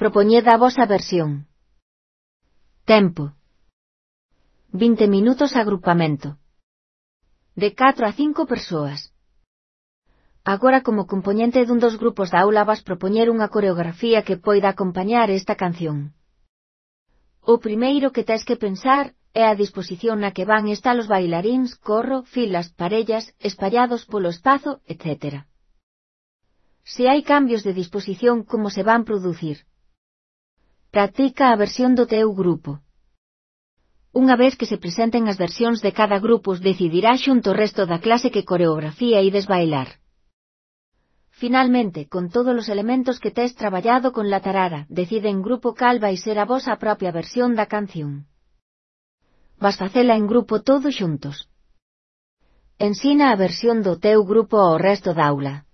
Propoñed a vosa versión. Tempo. 20 minutos agrupamento. De 4 a 5 persoas. Agora como compoñente dun dos grupos da aula vas propoñer unha coreografía que poida acompañar esta canción. O primeiro que tes que pensar é a disposición na que van estar os bailaríns, corro, filas, parellas, espallados polo espazo, etc. Se hai cambios de disposición, como se van producir. Practica a versión do teu grupo. Unha vez que se presenten as versións de cada grupo, decidirá xunto o resto da clase que coreografía ides bailar. Finalmente, con todos os elementos que tes traballado con la tarara, decide en grupo cal vai ser a vosa propia versión da canción. Vas facela en grupo todos xuntos. Ensina a versión do teu grupo ao resto da aula.